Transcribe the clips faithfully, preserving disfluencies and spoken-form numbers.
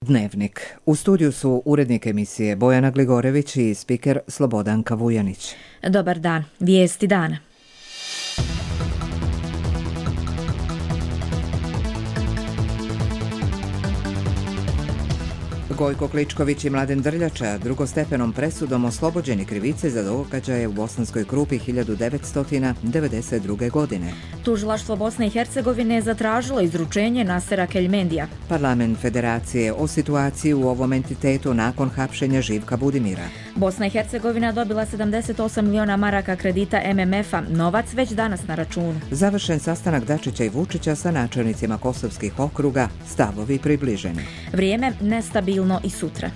Dnevnik. U studiju su urednik emisije Bojana Gligorević i spiker Slobodanka Vujanić. Dobar dan. Vijesti dana. Gojko Kličković i Mladen Drljača drugostepenom presudom oslobođeni krivice za događaje u Bosanskoj Krupi hiljadu devetsto devedeset druge. godine. Tužilaštvo Bosne i Hercegovine je zatražilo izručenje Nasera Keljmendija. Parlament Federacije o situaciji u ovom entitetu nakon hapšenja Živka Budimira. Bosna i Hercegovina dobila sedamdeset osam miliona maraka kredita M M F-a, novac već danas na računu. Završen sastanak Dačića i Vučića sa načelnicima kosovskih okruga, stavovi približeni. Vrijeme nestabilno i sutra.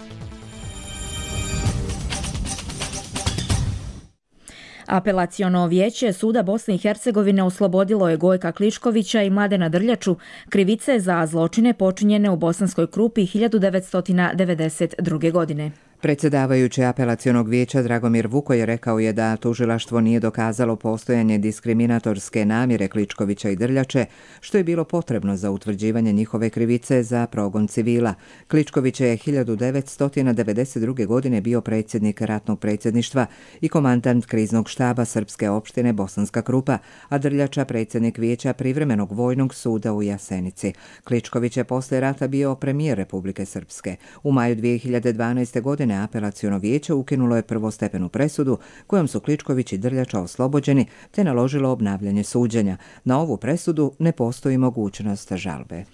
Apelaciono vijeće Suda Bosne i Hercegovine oslobodilo je Gojka Kličkovića i Mladena Drljaču krivice za zločine počinjene u Bosanskoj Krupi hiljadu devetsto devedeset druge. godine. Predsjedavajući apelacionog vijeća Dragomir Vukoj rekao je da tužilaštvo nije dokazalo postojanje diskriminatorske namjere Kličkovića i Drljače, što je bilo potrebno za utvrđivanje njihove krivice za progon civila. Kličković je hiljadu devetsto devedeset druge. godine bio predsjednik ratnog predsjedništva i komandant kriznog štaba Srpske opštine Bosanska Krupa, a Drljača predsjednik vijeća privremenog vojnog suda u Jasenici. Kličković je poslije rata bio premijer Republike Srpske. U maju dvije hiljade dvanaeste. godine apelaciono vijeće ukinulo je prvostepenu presudu kojom su Kličković i Drljača oslobođeni te naložilo obnavljanje suđenja. Na ovu presudu ne postoji mogućnost žalbe.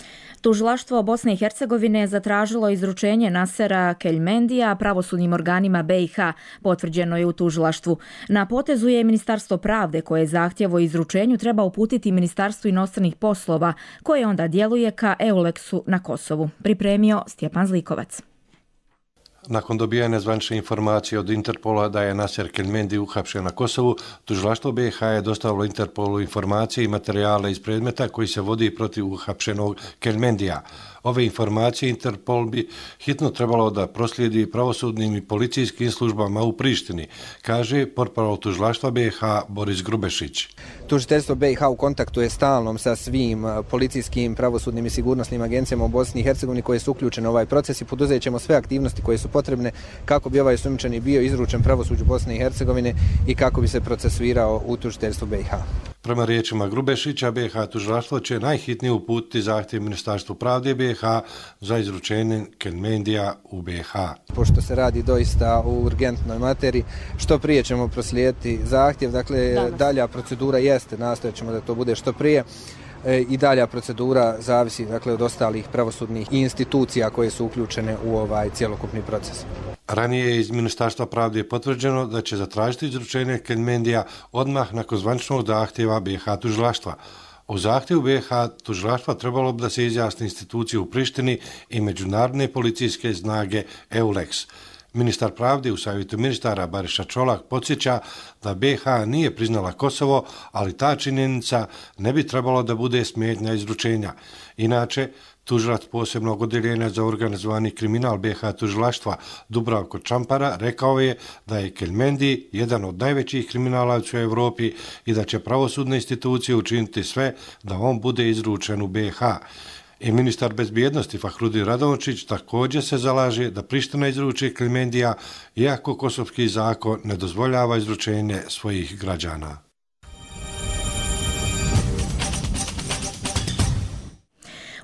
Tužilaštvo Bosne i Hercegovine je zatražilo izručenje Nasera Keljmendija pravosudnim organima B i H, potvrđeno je u tužilaštvu. Na potezu je Ministarstvo pravde koje zahtjev o izručenju treba uputiti Ministarstvu inostranih poslova, koje onda djeluje ka Euleksu na Kosovu. Pripremio Stjepan Zlikovac. Nakon dobijanja zvanične informacije od Interpola da je Naser Keljmendi uhapšen na Kosovu, tužilaštvo B i H je dostavilo Interpolu informacije i materijale iz predmeta koji se vodi protiv uhapšenog Keljmendija. Ove informacije Interpol bi hitno trebalo da proslijedi pravosudnim i policijskim službama u Prištini, kaže portparol tužilaštva B i H Boris Grubešić. Tužiteljstvo B i H u kontaktu je stalnom sa svim policijskim, pravosudnim i sigurnosnim agencijama u Bosni i Hercegovini koje su uključene u ovaj proces i poduzet ćemo sve aktivnosti koje su potrebne kako bi ovaj osumnjičeni bio izručen pravosuđu Bosne i Hercegovine i kako bi se procesuirao u tužiteljstvu B i H. Prema riječima Grubešića, B i H tužilaštvo će najhitnije uputiti zahtjev Ministarstvu pravde B i H za izručenje Keljmendija u B i H. Pošto se radi doista u urgentnoj materiji, što prije ćemo proslijediti zahtjev, dakle Danas. dalja procedura jeste, nastojat ćemo da to bude što prije. I dalja procedura zavisi dakle, od ostalih pravosudnih institucija koje su uključene u ovaj cjelokupni proces. Ranije je iz Ministarstva pravde potvrđeno da će zatražiti izručenje Keljmendija odmah nakon zvaničnog zahtjeva B i H tužilaštva. U zahtjevu B i H tužilaštva trebalo bi da se izjasne institucije u Prištini i međunarodne policijske snage Euleks. Ministar pravde u savjetu ministara Bariša Čolak podsjeća da B i H nije priznala Kosovo, ali ta činjenica ne bi trebalo da bude smetnja izručenja. Inače, tužilac posebnog odjeljenja za organizovani kriminal B i H tužilaštva Dubravko Čampara rekao je da je Keljmendi jedan od najvećih kriminalaca u Europi i da će pravosudne institucije učiniti sve da on bude izručen u B i H. I ministar bezbjednosti Fahrudin Radončić također se zalaže da Priština izruči Keljmendija, iako kosovski zakon ne dozvoljava izručenje svojih građana.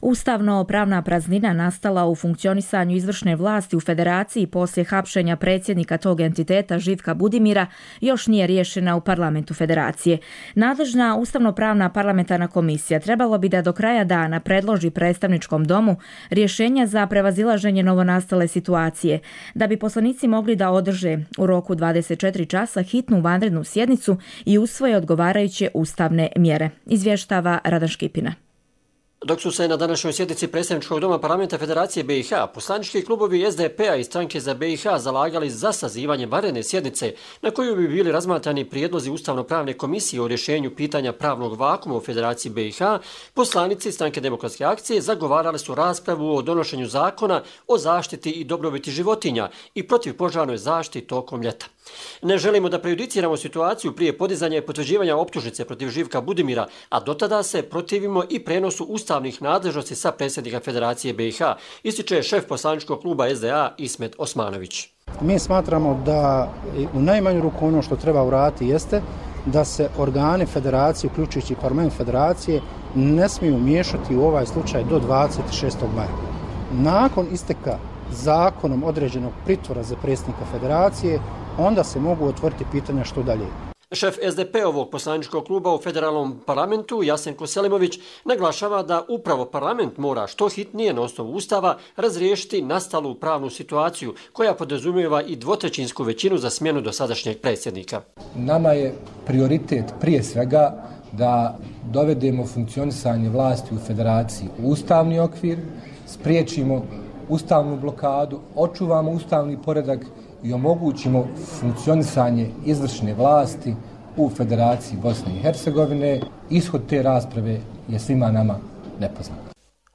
Ustavno-pravna praznina nastala u funkcionisanju izvršne vlasti u Federaciji poslije hapšenja predsjednika tog entiteta Živka Budimira još nije riješena u parlamentu Federacije. Nadležna ustavno-pravna parlamentarna komisija trebalo bi da do kraja dana predloži predstavničkom domu rješenja za prevazilaženje novonastale situacije, da bi poslanici mogli da održe u roku dvadeset četiri časa hitnu vanrednu sjednicu i usvoje odgovarajuće ustavne mjere. Izvještava Radan Škipina. Dok su se na današnjoj sjednici predstavničkog doma parlamenta Federacije B i H poslanički klubovi S D P-a i stranke za B i H zalagali za sazivanje vanredne sjednice na koju bi bili razmatrani prijedlozi ustavno-pravne komisije o rješenju pitanja pravnog vakuma u Federaciji B i H, poslanici stranke Demokratske akcije zagovarali su raspravu o donošenju zakona o zaštiti i dobrobiti životinja i protivpožarnoj zaštiti tokom ljeta. Ne želimo da prejudiciramo situaciju prije podizanja i potvrđivanja optužnice protiv Živka Budimira, a dotada se protivimo i prenosu ustavnog ustavnih nadležnosti sa predsjednika Federacije B i H, ističe šef poslaničkog kluba S D A Ismet Osmanović. Mi smatramo da u najmanju ruku ono što treba uraditi jeste da se organi federacije, uključujući parlament federacije, ne smiju miješati u ovaj slučaj do dvadeset šestog maja. Nakon isteka zakonom određenog pritvora za predsjednika federacije, onda se mogu otvoriti pitanja što dalje. Šef S D P-ovog poslaničkog kluba u federalnom parlamentu, Jasenko Selimović, naglašava da upravo parlament mora što hitnije na osnovu Ustava razriješiti nastalu pravnu situaciju koja podrazumijeva i dvotrećinsku većinu za smjenu dosadašnjeg predsjednika. Nama je prioritet prije svega da dovedemo funkcionisanje vlasti u federaciji u ustavni okvir, spriječimo ustavnu blokadu, očuvamo ustavni poredak i omogućimo funkcionisanje izvršne vlasti u Federaciji Bosne i Hercegovine. Ishod te rasprave je svima nama nepoznat.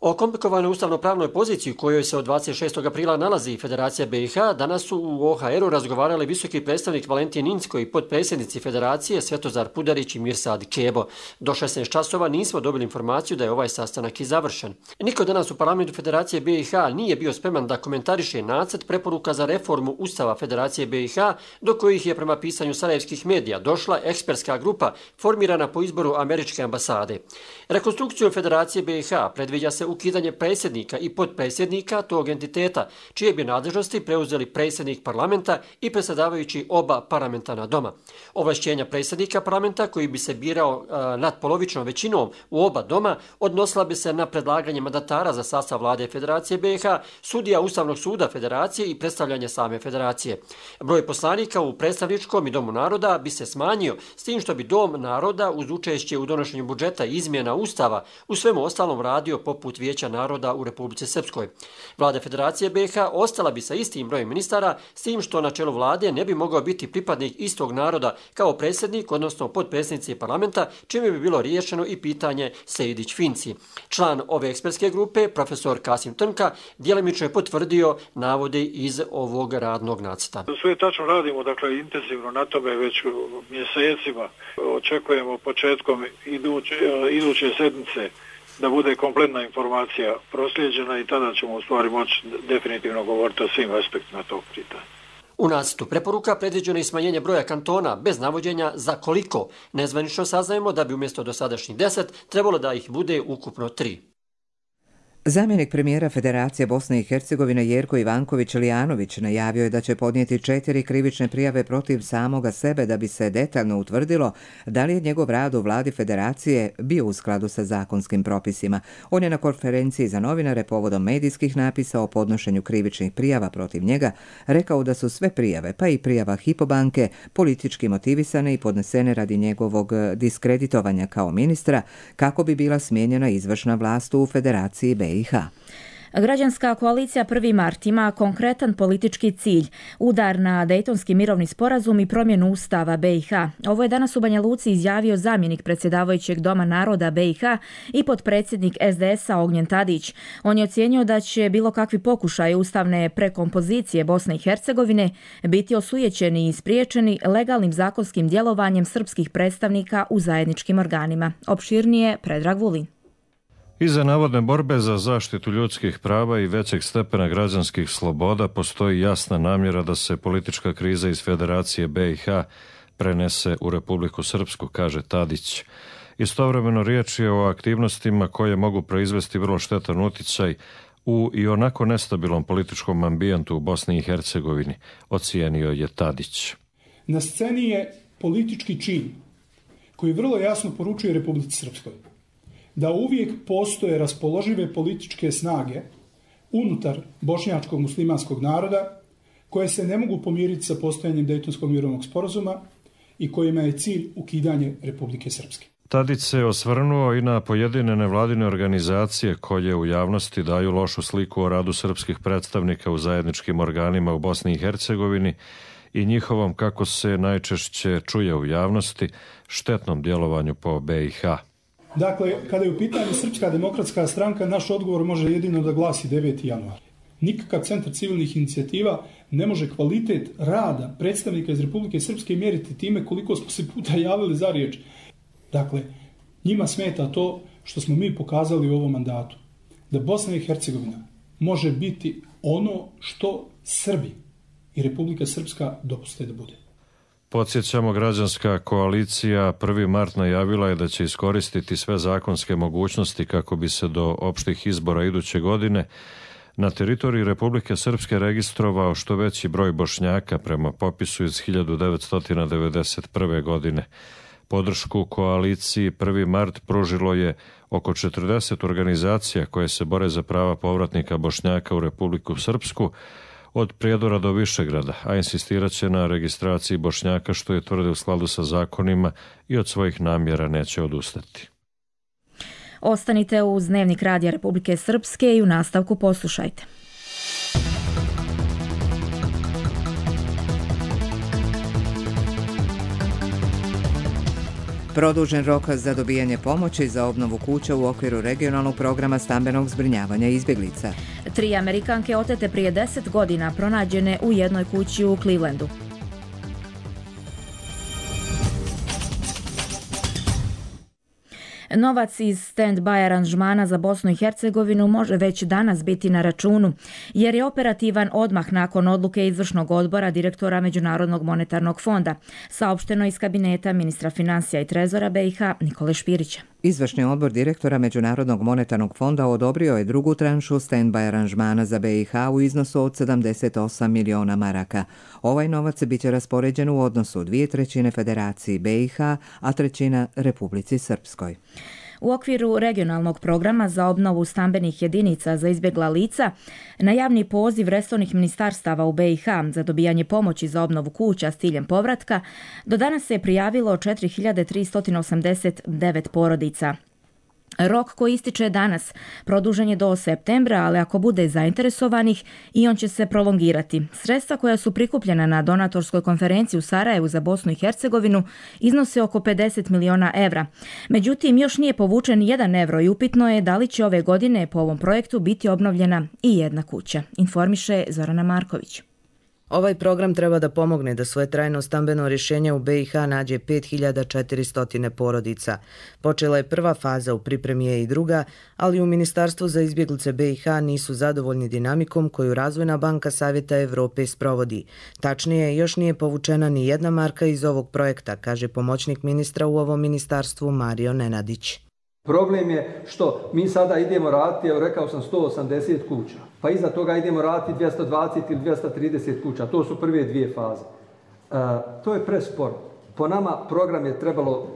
O komplikovanoj ustavno-pravnoj poziciji u kojoj se od dvadeset šestog aprila nalazi Federacija B i H danas su u O H R-u razgovarali visoki predstavnik Valentin Inzko i potpredsjednici Federacije Svetozar Pudarić i Mirsad Kebo. Do šesnaest časova nismo dobili informaciju da je ovaj sastanak i završen. Niko danas u parlamentu Federacije B i H nije bio spreman da komentariše nacrt preporuka za reformu Ustava Federacije B i H, do kojih je prema pisanju sarajevskih medija došla ekspertska grupa formirana po izboru američke ambasade. Rekonstrukcijom Federacije B i H predviđa se ukidanje predsjednika i potpredsjednika tog entiteta, čije bi nadležnosti preuzeli predsjednik parlamenta i predsjedavajući oba parlamentarna doma. Ovlašćenja predsjednika parlamenta, koji bi se birao a, nadpolovičnom većinom u oba doma, odnosila bi se na predlaganje mandatara za sastav vlade Federacije B i H, sudija Ustavnog suda Federacije i predstavljanje same Federacije. Broj poslanika u predstavničkom i Domu naroda bi se smanjio, s tim što bi Dom naroda uz učešće u donošenju budžeta i izmjena Ustava u svemu ostalom radio poput Vijeća naroda u Republici Srpskoj. Vlada Federacije B i H ostala bi sa istim brojem ministara, s tim što na čelu vlade ne bi mogao biti pripadnik istog naroda kao predsjednik, odnosno potpredsjednici parlamenta, čime bi bilo riješeno i pitanje Sejdić-Finci. Član ove ekspertske grupe, profesor Kasim Trnka, djelimično je potvrdio navode iz ovog radnog nacrta. Sve tačno radimo, dakle, intenzivno na tome već mjesecima. Očekujemo početkom iduće, iduće sedmice da bude kompletna informacija proslijeđena i tada ćemo u stvari moći definitivno govoriti o svim aspektima tog pitanja. U nacrtu preporuka predviđeno je smanjenje broja kantona bez navođenja za koliko. Nezvanično saznajemo da bi umjesto dosadašnjih deset trebalo da ih bude ukupno tri. Zamjenik premijera Federacije Bosne i Hercegovine Jerko Ivanković Lijanović najavio je da će podnijeti četiri krivične prijave protiv samoga sebe da bi se detaljno utvrdilo da li je njegov rad u vladi Federacije bio u skladu sa zakonskim propisima. On je na konferenciji za novinare povodom medijskih napisa o podnošenju krivičnih prijava protiv njega rekao da su sve prijave, pa i prijava Hypo banke, politički motivisane i podnesene radi njegovog diskreditovanja kao ministra kako bi bila smijenjena izvršna vlast u Federaciji B i H. Građanska koalicija prvi mart ima konkretan politički cilj, udar na Dejtonski mirovni sporazum i promjenu Ustava B i H. Ovo je danas u Banja Luci izjavio zamjenik predsjedavajućeg Doma naroda B i H i potpredsjednik S D S-a Ognjen Tadić. On je ocijenio da će bilo kakvi pokušaj ustavne prekompozicije Bosne i Hercegovine biti osujećeni i spriječeni legalnim zakonskim djelovanjem srpskih predstavnika u zajedničkim organima. Opširnije Predrag Vulin. Iza navodne borbe za zaštitu ljudskih prava i većeg stepena građanskih sloboda postoji jasna namjera da se politička kriza iz Federacije B i H prenese u Republiku Srpsku, kaže Tadić. Istovremeno riječ je o aktivnostima koje mogu proizvesti vrlo štetan utjecaj u i onako nestabilnom političkom ambijentu u Bosni i Hercegovini, ocijenio je Tadić. Na sceni je politički čin koji vrlo jasno poručuje Republici Srpskoj da uvijek postoje raspoložive političke snage unutar bošnjačkog muslimanskog naroda koje se ne mogu pomiriti sa postojanjem Dejtonskog mirovnog sporazuma i kojima je cilj ukidanje Republike Srpske. Tadić se osvrnuo i na pojedine nevladine organizacije koje u javnosti daju lošu sliku o radu srpskih predstavnika u zajedničkim organima u Bosni i Hercegovini i njihovom, kako se najčešće čuje u javnosti, štetnom djelovanju po B i H. Dakle, kada je u pitanju Srpska demokratska stranka, naš odgovor može jedino da glasi deveti januar. Nikakav centar civilnih inicijativa ne može kvalitet rada predstavnika iz Republike Srpske mjeriti time koliko smo se puta javili za riječ. Dakle, njima smeta to što smo mi pokazali u ovom mandatu, da Bosna i Hercegovina može biti ono što Srbi i Republika Srpska dopuste da bude. Podsjećamo, građanska koalicija prvi mart najavila je da će iskoristiti sve zakonske mogućnosti kako bi se do opštih izbora iduće godine na teritoriji Republike Srpske registrovao što veći broj Bošnjaka prema popisu iz hiljadu devetsto devedeset prve. godine. Podršku koaliciji prvi mart pružilo je oko četrdeset organizacija koje se bore za prava povratnika Bošnjaka u Republiku Srpsku, od Prijedora do Višegrada, a insistirat će na registraciji Bošnjaka, što je tvrde u skladu sa zakonima i od svojih namjera neće odustati. Ostanite uz Dnevnik Radija Republike Srpske i u nastavku poslušajte. Produžen rok za dobijanje pomoći za obnovu kuća u okviru regionalnog programa stambenog zbrinjavanja izbjeglica. Tri Amerikanke otete prije deset godina pronađene u jednoj kući u Clevelandu. Novac iz stand-by aranžmana za Bosnu i Hercegovinu može već danas biti na računu, jer je operativan odmah nakon odluke izvršnog odbora direktora Međunarodnog monetarnog fonda, saopšteno iz kabineta ministra financija i trezora B i H Nikole Špirića. Izvršni odbor direktora Međunarodnog monetarnog fonda odobrio je drugu tranšu stand-by aranžmana za B i H u iznosu od sedamdeset osam miliona maraka. Ovaj novac biće raspoređen u odnosu dvije trećine Federaciji B i H, a trećina Republici Srpskoj. U okviru regionalnog programa za obnovu stambenih jedinica za izbjegla lica, na javni poziv resornih ministarstava u B i H za dobijanje pomoći za obnovu kuća s ciljem povratka, do danas se je prijavilo četiri hiljade tristo osamdeset devet porodica. Rok koji ističe danas produžen je do septembra, ali ako bude zainteresovanih i on će se prolongirati. Sredstva koja su prikupljena na donatorskoj konferenciji u Sarajevu za Bosnu i Hercegovinu iznose oko pedeset miliona evra. Međutim, još nije povučen jedan evro i upitno je da li će ove godine po ovom projektu biti obnovljena i jedna kuća, informiše Zorana Marković. Ovaj program treba da pomogne da svoje trajno stambeno rješenje u B i H nađe pet hiljada četiristo porodica. Počela je prva faza, u pripremi je i druga, ali u Ministarstvu za izbjeglice B i H nisu zadovoljni dinamikom koju Razvojna banka Savjeta Evrope sprovodi. Tačnije, još nije povučena ni jedna marka iz ovog projekta, kaže pomoćnik ministra u ovom ministarstvu Mario Nenadić. Problem je što mi sada idemo raditi, evo rekao sam sto osamdeset kuća, pa iza toga idemo raditi dvjesto dvadeset ili dvjesto trideset kuća, to su prve dvije faze. E, to je presporo. Po nama program je trebalo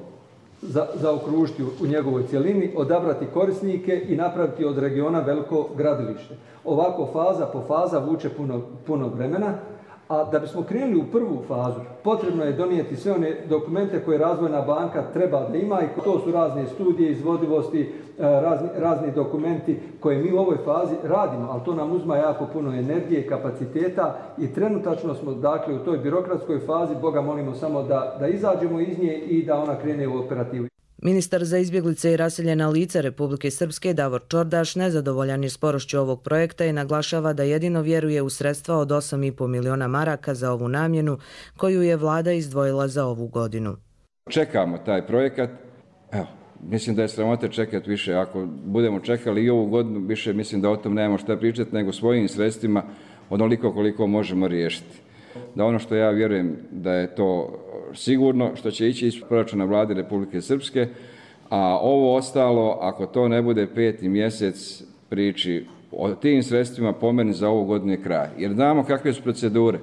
za, zaokružiti u, u njegovoj cjelini, odabrati korisnike i napraviti od regiona veliko gradilište. Ovako faza po faza vuče puno, puno vremena. A da bismo krenuli u prvu fazu, potrebno je donijeti sve one dokumente koje Razvojna banka treba da ima i to su razne studije, izvodivosti, razni, razni dokumenti koje mi u ovoj fazi radimo, ali to nam uzma jako puno energije i kapaciteta i trenutačno smo dakle u toj birokratskoj fazi, Boga molimo samo da, da izađemo iz nje i da ona krene u operativu. Ministar za izbjeglice i raseljena lica Republike Srpske Davor Čordaš nezadovoljan je sporošću ovog projekta i naglašava da jedino vjeruje u sredstva od osam i po miliona maraka za ovu namjenu koju je vlada izdvojila za ovu godinu. Čekamo taj projekat. Evo, mislim da je sramota čekati više. Ako budemo čekali i ovu godinu, više mislim da o tom nemamo šta pričati, nego svojim sredstvima onoliko koliko možemo riješiti. Da ono što ja vjerujem da je to sigurno, što će ići iz proračuna vlade Republike Srpske, a ovo ostalo, ako to ne bude peti mjesec priči o tim sredstvima, po meni za ovu godinu je kraj. Jer znamo kakve su procedure.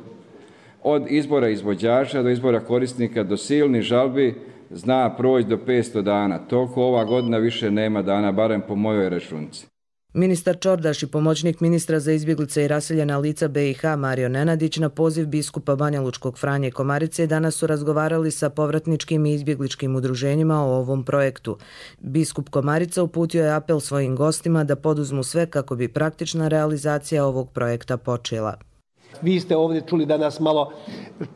Od izbora izvođača do izbora korisnika do silnih žalbi zna proći do petsto dana. Toliko ova godina više nema dana, barem po mojoj računici. Ministar Čordaš i pomoćnik ministra za izbjeglice i raseljena lica B i H Mario Nenadić na poziv biskupa Banja Lučkog Franje Komarice danas su razgovarali sa povratničkim i izbjegličkim udruženjima o ovom projektu. Biskup Komarica uputio je apel svojim gostima da poduzmu sve kako bi praktična realizacija ovog projekta počela. Vi ste ovdje čuli danas malo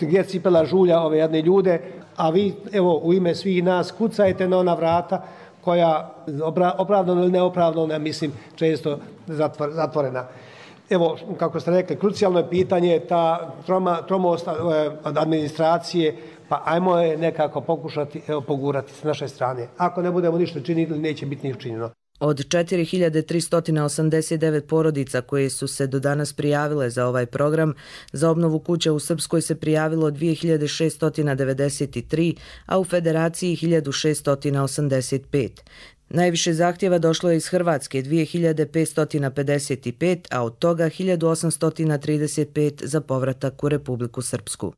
gdje cipela žulja ove jedne ljude, a vi evo u ime svih nas kucajte na ona vrata koja opravdano ili neopravdano, mislim, često zatvorena. Evo, kako ste rekli, krucijalno je pitanje ta troma, tromost administracije pa ajmo je nekako pokušati evo, pogurati s naše strane. Ako ne budemo ništa činili, neće biti ni učinjeno. Od četiri hiljade tristo osamdeset devet porodica koje su se do danas prijavile za ovaj program, za obnovu kuća u Srpskoj se prijavilo dvije hiljade šesto devedeset tri, a u Federaciji hiljadu šesto osamdeset pet. Najviše zahtjeva došlo je iz Hrvatske, dvije hiljade petsto pedeset pet, a od toga hiljadu osamsto trideset pet za povratak u Republiku Srpsku.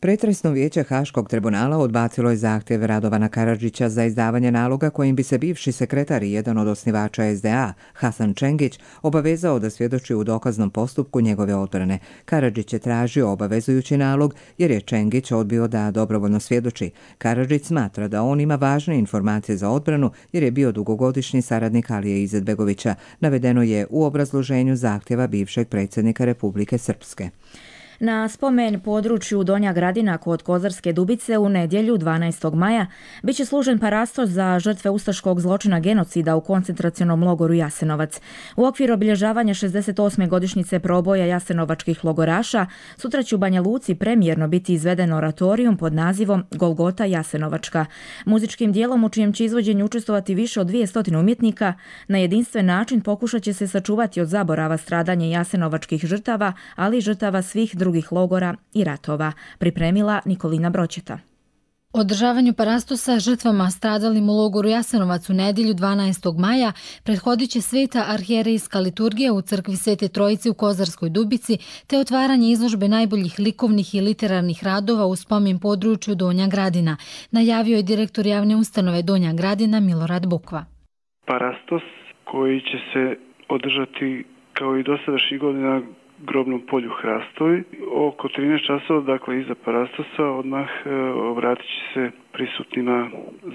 Pretresno vijeće Haškog tribunala odbacilo je zahtjev Radovana Karadžića za izdavanje naloga kojim bi se bivši sekretar i jedan od osnivača es de a, Hasan Čengić, obavezao da svjedoči u dokaznom postupku njegove odbrane. Karadžić je tražio obavezujući nalog jer je Čengić odbio da dobrovoljno svjedoči. Karadžić smatra da on ima važne informacije za odbranu jer je bio dugogodišnji saradnik Alije Izetbegovića, navedeno je u obrazloženju zahtjeva bivšeg predsjednika Republike Srpske. Na spomen području Donja Gradina kod Kozarske Dubice u nedjelju dvanaestog maja bit će služen parastos za žrtve ustaškog zločina genocida u koncentracionom logoru Jasenovac. U okviru obilježavanja šezdeset osme godišnjice proboja jasenovačkih logoraša sutra će u Banja Luci premijerno biti izveden oratorijum pod nazivom Golgota Jasenovačka. Muzičkim dijelom u čijem će izvođenju učestvovati više od dvjesto umjetnika na jedinstven način pokušat će se sačuvati od zaborava stradanje jasenovačkih žrtava, ali i žrtava svih drugih logora i ratova, pripremila Nikolina Broćeta. Održavanju parastosa žrtvama stradalim u logoru Jasenovac u nedjelju dvanaestog maja prethodit će sveta arhijerejska liturgija u crkvi Svete Trojice u Kozarskoj Dubici te otvaranje izložbe najboljih likovnih i literarnih radova u spomen području Donja Gradina, najavio je direktor javne ustanove Donja Gradina Milorad Bukva. Parastos koji će se održati kao i dosadašnjih godina grobnom polju Hrastovi. Oko trinaest časova, dakle iza parastosa, odmah e, obratit će se prisutnima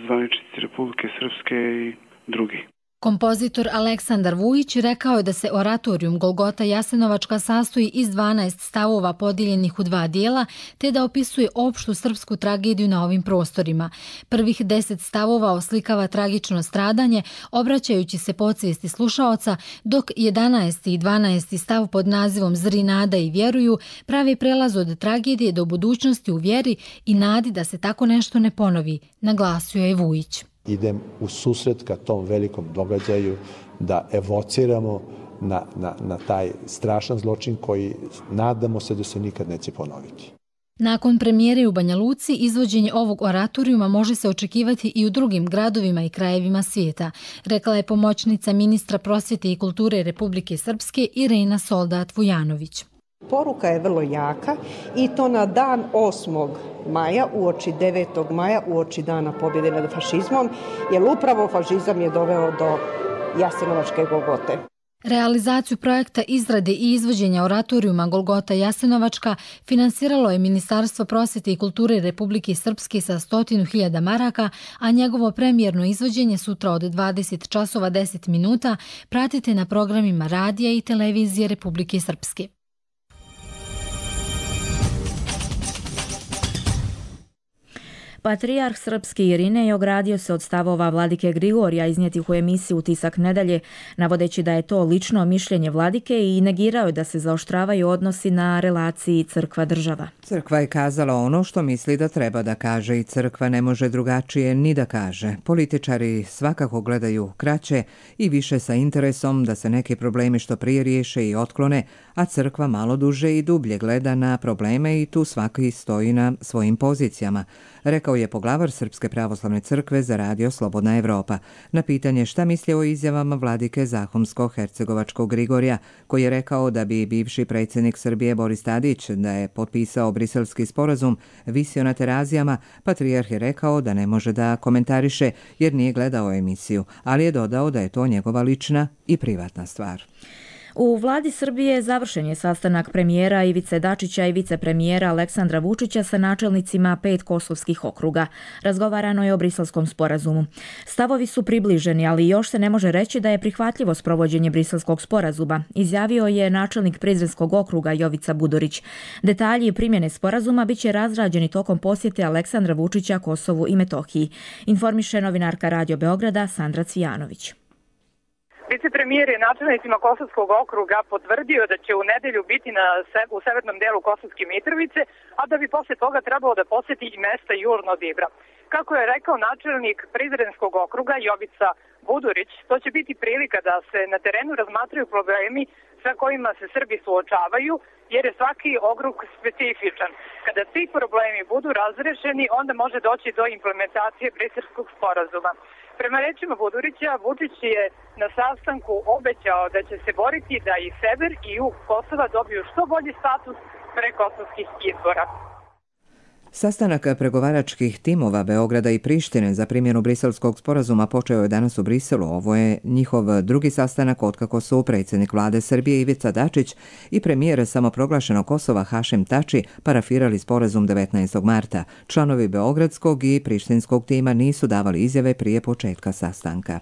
zvaničnici Republike Srpske i drugi. Kompozitor Aleksandar Vujić rekao je da se oratorijum Golgota Jasenovačka sastoji iz dvanaest stavova podijeljenih u dva dijela, te da opisuje opštu srpsku tragediju na ovim prostorima. Prvih deset stavova oslikava tragično stradanje, obraćajući se podsvijesti slušaoca, dok jedanaesti i dvanaesti stav pod nazivom Zri nada i vjeruju pravi prelaz od tragedije do budućnosti u vjeri i nadi da se tako nešto ne ponovi, naglasio je Vujić. Idem u susret ka tom velikom događaju da evociramo na, na, na taj strašan zločin koji nadamo se da se nikad neće ponoviti. Nakon premijere u Banja Luci, izvođenje ovog oratorijuma može se očekivati i u drugim gradovima i krajevima svijeta, rekla je pomoćnica ministra prosvjete i kulture Republike Srpske Irena Soldat Vujanović. Poruka je vrlo jaka i to na dan osmog maja, uoči devetog maja, uoči dana pobjede nad fašizmom, jer upravo fašizam je doveo do Jasenovačke Golgote. Realizaciju projekta izrade i izvođenja oratorijuma Golgota Jasenovačka finansiralo je Ministarstvo prosvjete i kulture Republike Srpske sa stotinu hiljada maraka, a njegovo premijerno izvođenje sutra od dvadeset časova deset minuta pratite na programima radija i televizije Republike Srpske. Patrijarh srpski Irinej ogradio se od stavova vladike Grigorija iznijetih u emisiji Utisak nedelje, navodeći da je to lično mišljenje vladike i negirao je da se zaoštravaju odnosi na relaciji crkva-država. Crkva je kazala ono što misli da treba da kaže i crkva ne može drugačije ni da kaže. Političari svakako gledaju kraće i više sa interesom da se neki problemi što prije riješe i otklone, a crkva malo duže i dublje gleda na probleme i tu svaki stoji na svojim pozicijama, rekao je poglavar Srpske pravoslavne crkve za radio Slobodna Evropa. Na pitanje šta misli o izjavama vladike Zahumsko-Hercegovačkog Grigorija, koji je rekao da bi bivši predsjednik Srbije Boris Tadić, da je potpisao briselski sporazum, visio na terazijama, patrijarh je rekao da ne može da komentariše jer nije gledao emisiju, ali je dodao da je to njegova lična i privatna stvar. U vladi Srbije završen je sastanak premijera Ivice Dačića i vicepremijera Aleksandra Vučića sa načelnicima pet kosovskih okruga. Razgovarano je o briselskom sporazumu. Stavovi su približeni, ali još se ne može reći da je prihvatljivo sprovođenje briselskog sporazuma, izjavio je načelnik Prizrenskog okruga Jovica Budorić. Detalji primjene sporazuma bit će razrađeni tokom posjete Aleksandra Vučića Kosovu i Metohiji, informiše novinarka Radio Beograda Sandra Cvijanović. Vicepremijer je načelnicima Kosovskog okruga potvrdio da će u nedelju biti na se, u severnom delu Kosovske Mitrovice, a da bi posle toga trebalo da poseti i mesta južno od Ibra. Kako je rekao načelnik Prizrenskog okruga Jovica Budurić, to će biti prilika da se na terenu razmatraju problemi sa kojima se Srbi suočavaju, jer je svaki okrug specifičan. Kada ti problemi budu razrešeni, onda može doći do implementacije Briselskog sporazuma. Prema rečima Budurića, Vučić je na sastanku obećao da će se boriti da i sever i jug Kosova dobiju što bolji status pre kosovskih izbora. Sastanak pregovaračkih timova Beograda i Prištine za primjenu Briselskog sporazuma počeo je danas u Briselu. Ovo je njihov drugi sastanak otkako su predsjednik vlade Srbije Ivica Dačić i premijer samoproglašenog Kosova Hašim Tači parafirali sporazum devetnaestog marta. Članovi beogradskog i prištinskog tima nisu davali izjave prije početka sastanka.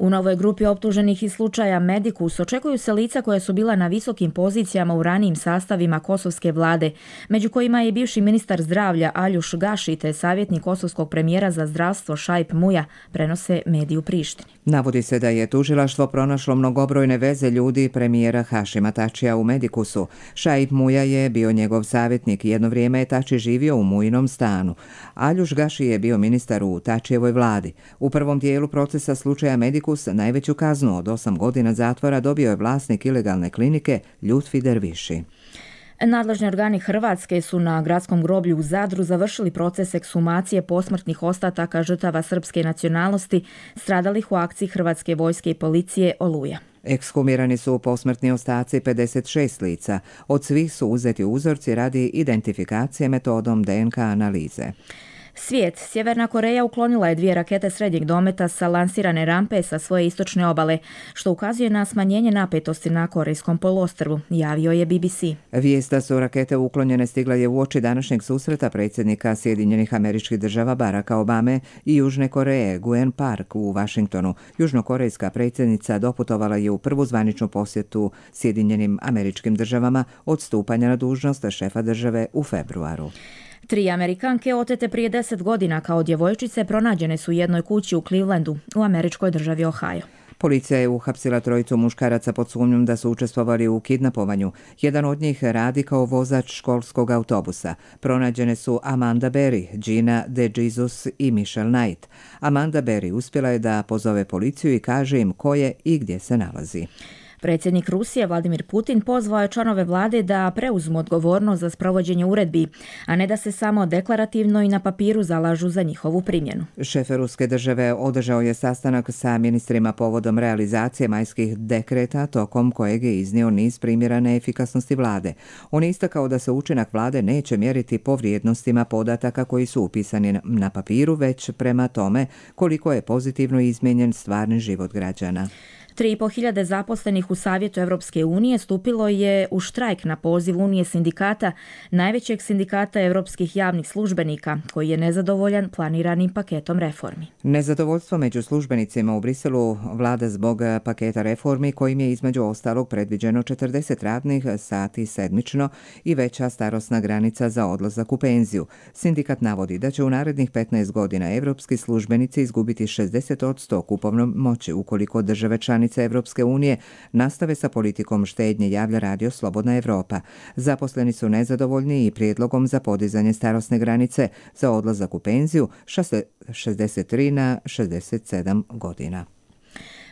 U novoj grupi optuženih iz slučaja Medikus očekuju se lica koja su bila na visokim pozicijama u ranijim sastavima kosovske vlade, među kojima je bivši ministar zdravlja Aljuš Gaši te savjetnik kosovskog premijera za zdravstvo Šaip Muja, prenose mediji u Prištini. Navodi se da je tužilaštvo pronašlo mnogobrojne veze ljudi premijera Hašima Tačija u Medikusu. Šaip Muja je bio njegov savjetnik i jedno vrijeme je Tači živio u Mujinom stanu. Aljuš Gaši je bio ministar u Tačijevoj vladi. U prvom dijelu procesa slučaja Medikus najveću kaznu od osam godina zatvora dobio je vlasnik ilegalne klinike Ljutfi Derviši. Nadležni organi Hrvatske su na gradskom groblju u Zadru završili proces ekshumacije posmrtnih ostataka žrtava srpske nacionalnosti stradalih u akciji Hrvatske vojske i policije Oluja. Ekshumirani su posmrtni ostaci pedeset šest lica. Od svih su uzeti uzorci radi identifikacije metodom D N K analize. Svijet. Sjeverna Koreja uklonila je dvije rakete srednjeg dometa sa lansirane rampe sa svoje istočne obale, što ukazuje na smanjenje napetosti na Korejskom poluostrvu, javio je B B C. Vijest da su rakete uklonjene stigla je uoči današnjeg susreta predsjednika Sjedinjenih Američkih Država Baracka Obame i Južne Koreje Guen Park u Vašingtonu. Južnokorejska predsjednica doputovala je u prvu zvaničnu posjetu Sjedinjenim Američkim Državama od stupanja na dužnost šefa države u februaru. Tri Amerikanke otete prije deset godina kao djevojčice pronađene su u jednoj kući u Clevelandu, u američkoj državi Ohio. Policija je uhapsila trojicu muškaraca pod sumnjom da su učestvovali u kidnapovanju. Jedan od njih radi kao vozač školskog autobusa. Pronađene su Amanda Berry, Gina DeJesus i Michelle Knight. Amanda Berry uspjela je da pozove policiju i kaže im ko je i gdje se nalazi. Predsjednik Rusije Vladimir Putin pozvao je članove vlade da preuzmu odgovornost za sprovođenje uredbi, a ne da se samo deklarativno i na papiru zalažu za njihovu primjenu. Šef ruske države održao je sastanak sa ministrima povodom realizacije majskih dekreta, tokom kojeg je iznio niz primjera neefikasnosti vlade. On je istakao da se učinak vlade neće mjeriti po vrijednostima podataka koji su upisani na papiru, već prema tome koliko je pozitivno izmijenjen stvarni život građana. Tri i po hiljade zaposlenih u Savjetu Europske unije stupilo je u štrajk na poziv Unije sindikata, najvećeg sindikata europskih javnih službenika, koji je nezadovoljan planiranim paketom reformi. Nezadovoljstvo među službenicima u Briselu vlada zbog paketa reformi kojim je između ostalog predviđeno četrdeset radnih sati sedmično i veća starosna granica za odlazak u penziju. Sindikat navodi da će u narednih petnaest godina europski službenici izgubiti šezdeset posto kupovne moći ukoliko države članice Evropske unije nastave sa politikom štednje, javlja radio Slobodna Evropa. Zaposleni su nezadovoljni i prijedlogom za podizanje starosne granice za odlazak u penziju šezdeset tri na šezdeset sedam godina.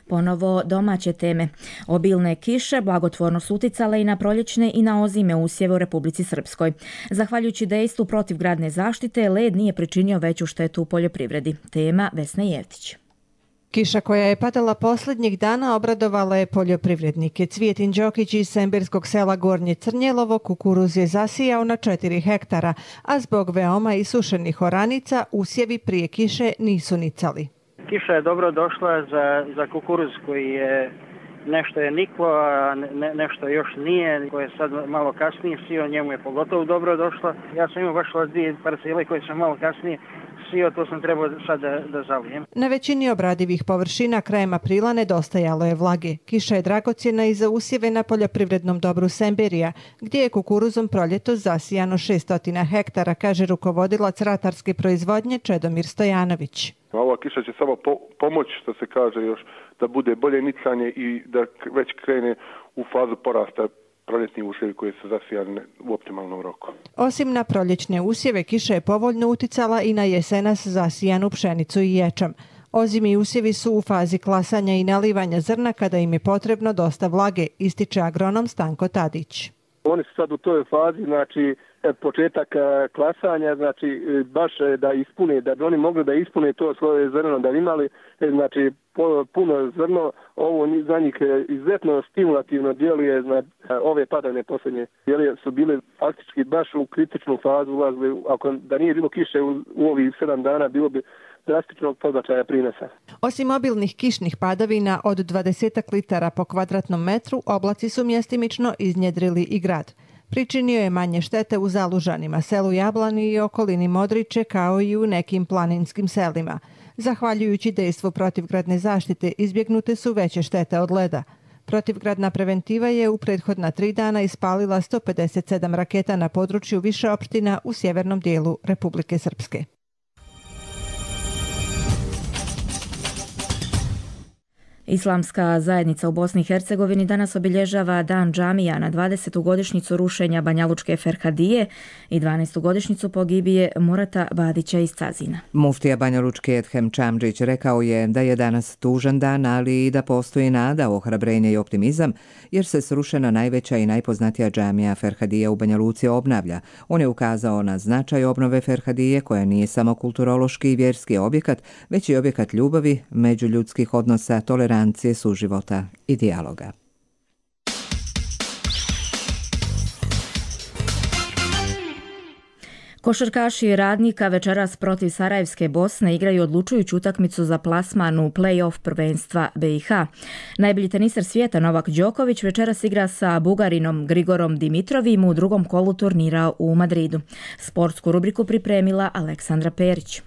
Ponovo domaće teme. Obilne kiše blagotvorno su uticale i na proljećne i na ozime usjeve u Republici Srpskoj. Zahvaljujući dejstvu protivgradne zaštite, led nije pričinio veću štetu u poljoprivredi. Tema Vesna Jevtić. Kiša koja je padala posljednjih dana obradovala je poljoprivrednike. Cvijetin Đokić iz Semberskog sela Gornje Crnjelovo kukuruz je zasijao na četiri hektara, a zbog veoma isušenih oranica usjevi prije kiše nisu nicali. Kiša je dobro došla za, za kukuruz koji je nešto je niklo, a ne, nešto još nije, koje je sad malo kasnije sio, njemu je pogotovo dobro došlo. Ja sam imao baš dvije parcele koje sam malo kasnije sio, to sam trebao sad da, da zalijem. Na većini obradivih površina krajem aprila nedostajalo je vlage. Kiša je dragocjena i za usjeve na poljoprivrednom dobru Semberija, gdje je kukuruzom proljetos zasijano šesto hektara, kaže rukovodilac ratarske proizvodnje Čedomir Stojanović. Ova kiša će samo po, pomoći, što se kaže još, da bude bolje nicanje i da već krene u fazu porasta proljetni usjevi koji su zasijani u optimalnom roku. Osim na proljećne usjeve, kiša je povoljno uticala i na jesenas zasijanu pšenicu i ječam. Ozimi usjevi su u fazi klasanja i nalivanja zrna kada im je potrebno dosta vlage, ističe agronom Stanko Tadić. Oni su sad u toj fazi, znači početak klasanja, znači baš da ispune, da bi oni mogli da ispune to svoje zrno, da bi imali znači puno zrno, ovo za njih izuzetno stimulativno djeluje, znači ove padavne posljednje djeluje su bile faktički baš u kritičnu fazu ulazili, ako da nije bilo kiše u, u ovih sedam dana, bilo bi drastičnog podbačaja prinosa. Osim obilnih kišnih padavina od dvadeset litara po kvadratnom metru, oblaci su mjestimično iznjedrili i grad. Pričinio je manje štete u Zalužanima, selu Jablani i okolini Modriče, kao i u nekim planinskim selima. Zahvaljujući dejstvu protivgradne zaštite, izbjegnute su veće štete od leda. Protivgradna preventiva je u prethodna tri dana ispalila sto pedeset sedam raketa na području više opština u sjevernom dijelu Republike Srpske. Islamska zajednica u Bosni i Hercegovini danas obilježava Dan džamija na dvadesetu godišnjicu rušenja Banjalučke Ferhadije i dvanaestu godišnjicu pogibije Murata Badića iz Cazina. Muftija Banjalučke Edhem Čamdžić rekao je da je danas tužan dan, ali i da postoji nada, ohrabrenje i optimizam, jer se srušena najveća i najpoznatija džamija Ferhadije u Banja Luci obnavlja. On je ukazao na značaj obnove Ferhadije, koja nije samo kulturološki i vjerski objekat, već i objekat ljubavi, međuljudskih odnosa, tolerancije, suživota i dijaloga. Košarkaši Radnika večeras protiv Sarajevske Bosne igraju odlučujuću utakmicu za plasman u play-off prvenstva B i H. Najbolji teniser svijeta Novak Đoković večeras igra sa Bugarinom Grigorom Dimitrovim u drugom kolu turnira u Madridu. Sportsku rubriku pripremila Aleksandra Perić.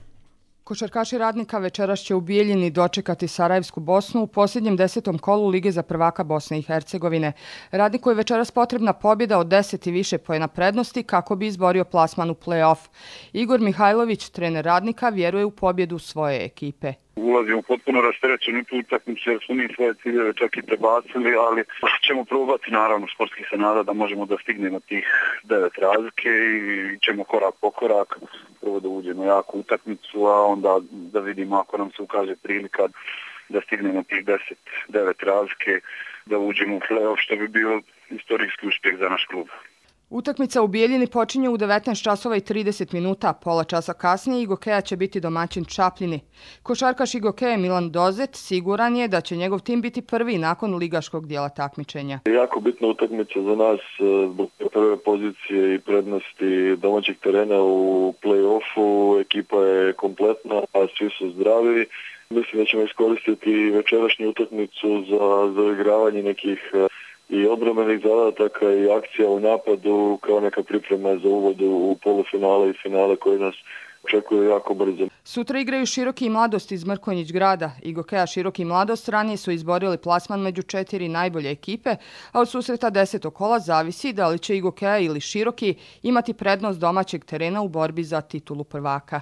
Košarkaši Radnika večeras će u Bijeljini dočekati Sarajevsku Bosnu u posljednjem desetom kolu Lige za prvaka Bosne i Hercegovine. Radniku je večeras potrebna pobjeda od deset i više poena prednosti kako bi izborio plasman u play-off. Igor Mihajlović, trener Radnika, vjeruje u pobjedu svoje ekipe. Ulazimo potpuno rasterećeni tu utakmicu jer su mi svoje ciljeve čak i prebacili, ali ćemo probati, naravno, sportski se nada da možemo da stignemo tih devet razlike i ćemo korak po korak prvo da uđemo jaku utakmicu, a onda da vidimo ako nam se ukaže prilika da stignemo tih deset, devet razlike, da uđemo u play-off, što bi bio istorijski uspjeh za naš klub. Utakmica u Bijeljini počinje u devetnaest časova i trideset minuta. Pola časa kasnije Igokeja će biti domaćin Čapljini. Košarkaš Igokeje Milan Dozet siguran je da će njegov tim biti prvi nakon ligaškog dijela takmičenja. Jako bitna utakmica za nas zbog prve pozicije i prednosti domaćeg terena u play-offu. Ekipa je kompletna, a svi su zdravi. Mislim da ćemo iskoristiti večerašnju utakmicu za zaigravanje nekih i odbrambenih zadataka i akcija u napadu kao neka priprema za uvod u polufinale i finale koje nas očekuje jako brzo. Sutra igraju Široki i Mladost iz Mrkonjić grada. Igokeja Široki i Mladost ranije su izborili plasman među četiri najbolje ekipe, a od susreta desetog kola zavisi da li će Igokeja ili Široki imati prednost domaćeg terena u borbi za titulu prvaka.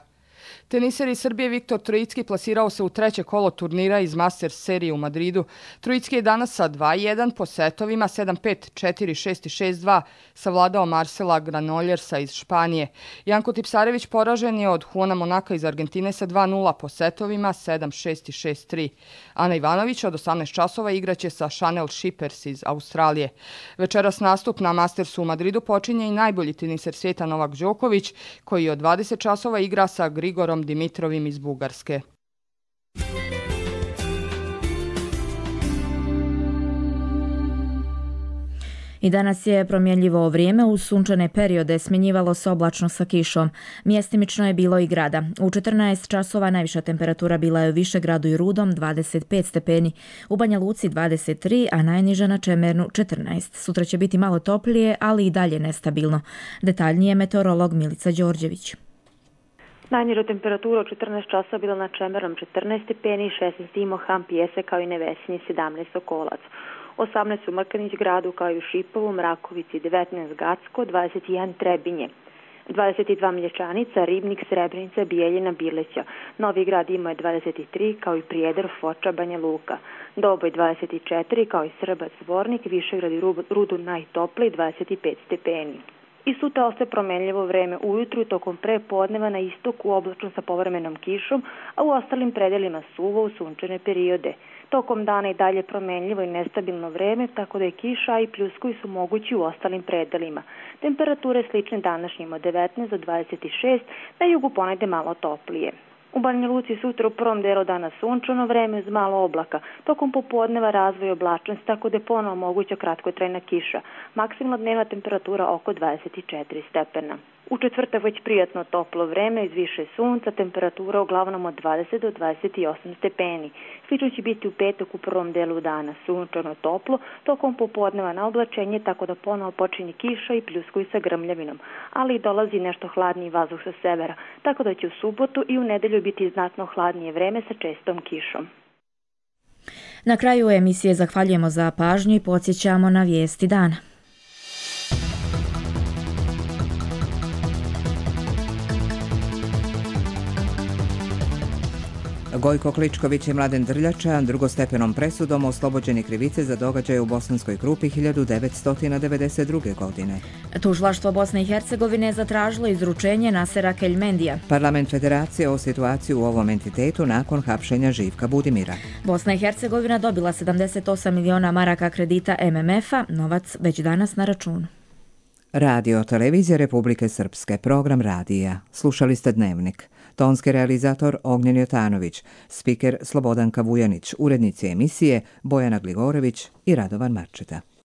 Teniser iz Srbije Viktor Trojicki plasirao se u treće kolo turnira iz Masters serije u Madridu. Trojicki je danas sa dva jedan po setovima sedam pet, četiri šest i šest dva savladao Marcela Granoljersa iz Španije. Janko Tipsarević poražen je od Juana Monaka iz Argentine sa dva nula po setovima sedam šest i šest tri. Ana Ivanović od osamnaest časova igraće sa Chanel Shippers iz Australije. Večeras nastup na Mastersu u Madridu počinje i najbolji teniser svijeta Novak Đoković, koji od dvadeset časova igra sa Grigorom Dimitrovim iz Bugarske. I danas je promjenljivo vrijeme, uz sunčane periode smjenjivalo se oblačno sa kišom. Mjestimično je bilo i grada. U četrnaest časova najviša temperatura bila je u Višegradu i Rudom dvadeset pet stepeni, u Banja Luci dvadeset tri, a najniža na Čemernu četrnaest. Sutra će biti malo toplije, ali i dalje nestabilno. Detaljnije meteorolog Milica Đorđević. Najniža temperatura od četrnaest časa bila na Čemernom četrnaest stepeni, šesnaest Imohan, Pjese kao i Nevesinje sedamnaest Sokolac. osamnaest u Mrkanić gradu kao i u Šipovu, Mrakovici devetnaest Gacko, dvadeset jedan Trebinje. dvadeset dva Mlječanica, Ribnik, Srebrenica, Bijeljina, Bileća. Novi Grad imao je dvadeset tri, kao i Prijedor, Foča, Banja Luka. Doboj dvadeset četiri, kao i Srbac, Zvornik, Višegrad i Rudu najtopliji dvadeset pet stepeni. I sutra ostaje promenljivo vreme ujutru i tokom prepodneva na istoku oblačno sa povremenom kišom, a u ostalim predelima suvo u sunčane periode. Tokom dana i dalje promenljivo i nestabilno vreme, tako da je kiša i pljuskovi su mogući u ostalim predelima. Temperature slične današnjim od devetnaest do dvadeset šest, na jugu ponegde malo toplije. U Banja Luci sutra u prvom delu dana sunčano vreme uz malo oblaka. Tokom popodneva razvoj oblačnosti, tako da je ponovo moguća kratkotrajna kiša. Maksimalna dnevna temperatura oko dvadeset četiri stepena. U četvrtak već prijatno toplo vreme, iz više sunca, temperatura uglavnom od dvadeset do dvadeset osam stepeni. Slično će biti u petak u prvom delu dana, sunčano toplo, tokom popodneva na oblačenje, tako da ponovo počinje kiša i pljuskovi sa grmljavinom, ali i dolazi nešto hladniji vazduh sa severa, tako da će u subotu i u nedelju biti znatno hladnije vreme sa čestom kišom. Na kraju emisije zahvaljujemo za pažnju i podsjećamo na vijesti dana. Gojko Kličković i Mladen Drljača drugostepenom presudom oslobođeni krivice za događaje u Bosanskoj Krupi hiljadu devetsto devedeset druge. godine. Tužilaštvo Bosne i Hercegovine zatražilo izručenje Nasera Keljmendija. Parlament Federacije o situaciju u ovom entitetu nakon hapšenja Živka Budimira. Bosna i Hercegovina dobila sedamdeset osam miliona maraka kredita M M F-a, novac već danas na računu. Radio Televizija Republike Srpske, program radija. Slušali ste Dnevnik. Tonski realizator Ognjen Jotanović, spiker Slobodanka Vujanić, urednici emisije Bojana Gligorević i Radovan Marčeta.